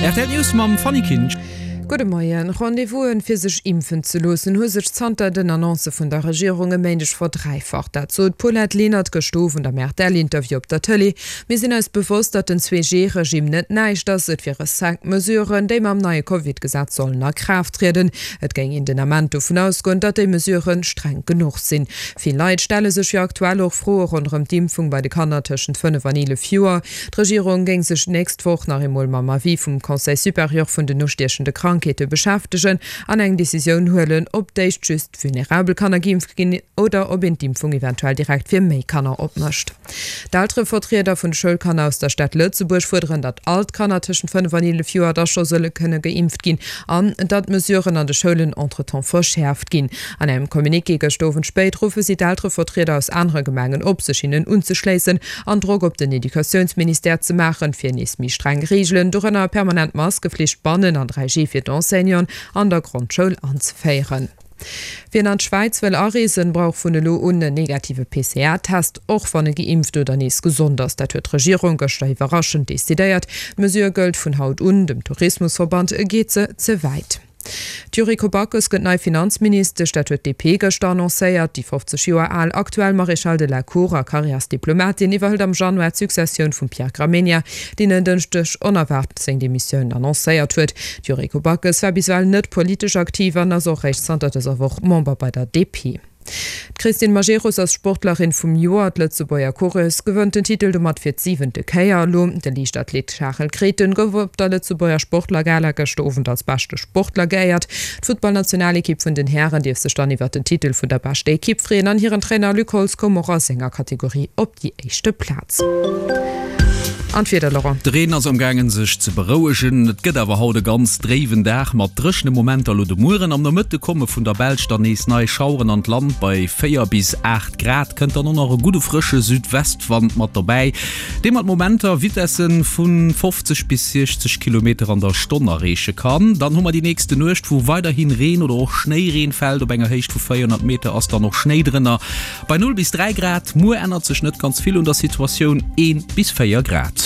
Rtl News mam Fanny Kinsch. Gudde Moien. Rendez-vous'en fir sech impfen ze loossen hu sech zanter den Annoncë vun der Regierung e Méindeg verdräifacht. Dat sot d'Paulette Lenert gëscht Owend am RTL-Interview op der Tëlee. Mir sinn eis bewosst, datt den 2G-Regime net näischt ass. Et wiere 5 Mesuren, déi mam neie Covid-Gesetz sollen a Kraaft trieden. Et géing een den Ament dovun ausgoen, datt déi Mesurë streng genuch sinn. Vill Leit stelle sech jo aktuell och Froe ronderëm d'Impfung bei de Kanner tëschent 5 an 11 Joer. D'Regierung géing sech d'nächst Woch nach eemol mam Avis vum Conseil supérieur vun den ustiechende Krankheete beschäftegen an eng Decisioun huelen, ob d'éischt just vulnerabel Kanner geimpft ginn oder ob een d'Impfung eventuell direkt fir méi Kanner opmécht. D'Elterevertrieder vun de Schoulkanner aus der Stad Lëtzebuerg fuerderen, datt all d'Kanner tëschent 5 an 11 Joer da scho solle kënne geimpft ginn an datt d'Mesuren an de Schoulen entretemps verschäerft ginn. An engem Communiqué gëscht Owend spéit ruffe si d'Elterevertrieder aus anere Gemengen op, sech hinnen unzeschléissen an Drock op den Educatiounsministère ze maachen, fir nees méi streng Reegelen, dorënner permanent Maskeflicht bannen an 3G fir d'Enseignanten an der Grondschoul anzeféieren. Wien an d'Schwäiz wëll areesen, brauch vun elo un en negative PCR-Test, och wann e geimpft oder nees gesond ass. Dat huet d'Regierung gëschter iwwerraschend decidéiert. D'Mesure gëllt vun haut un. Dem Tourismusverband geet se ze wäit. D'Yuriko Backes gëtt nei Finanzministesch, dat huet d'DP gëschter annoncéiert. Déi 50 Joer al aktuell Maréchale de la Cour a Karriärsdiplomatin iwwerhëlt am Januar d'Successioun vum Pierre Gramegna, deen en Dënschdeg onerwaart seng Demissioun annoncéiert huet. D'Yuriko Backes war bis ewell net politesch aktiv an ass och réischt zanter dëser Woch Member bei der DP. D'Christine Majerus ass Sportlerin vum Joer. D'Lëtzebuerger Coureuse gewënnt den Titel domat fir d'siwente Kéier elo. De Liichtathlet Charel Grethen gouf op der Lëtzebuerger Sportlergala gëschter Owend als beschte Sportler geéiert. D'Futtballnationalekipp vun den Hären dierf sech dann iwwert den Titel vun der beschter Ekipp freeën an hiren Trainer Luc Holtz koum och a senger Kategorie op déi éischte Plaz. An d'Wieder, Laurent? De Reen ass amgaangen sech ze berouegen, et gëtt awer haut e ganz dréiwen Dag mat dréchene Momenter. Elo de Mueren am Nomëtte komme vun der Belsch dann nees nei Schaueren an d'Land, bei 4 bis 8 Grad kënnt dann och nach e gudde frësche Südwestwand mat dobäi, dee mat Momenter Vitesse vu 50 bis 60 Kilometer an der Stonn erreeche kann. Dann hu mer déi nächste Nuecht, wou weiderhi Reen oder och Schnéireen fält, op enger Héicht vu 400 Meter ass dann och Schnéi drënner. Bei 0 bis 3 Grad, muer ännert sech net ganz vill un der Situatioun, 1 bis 4 Grad.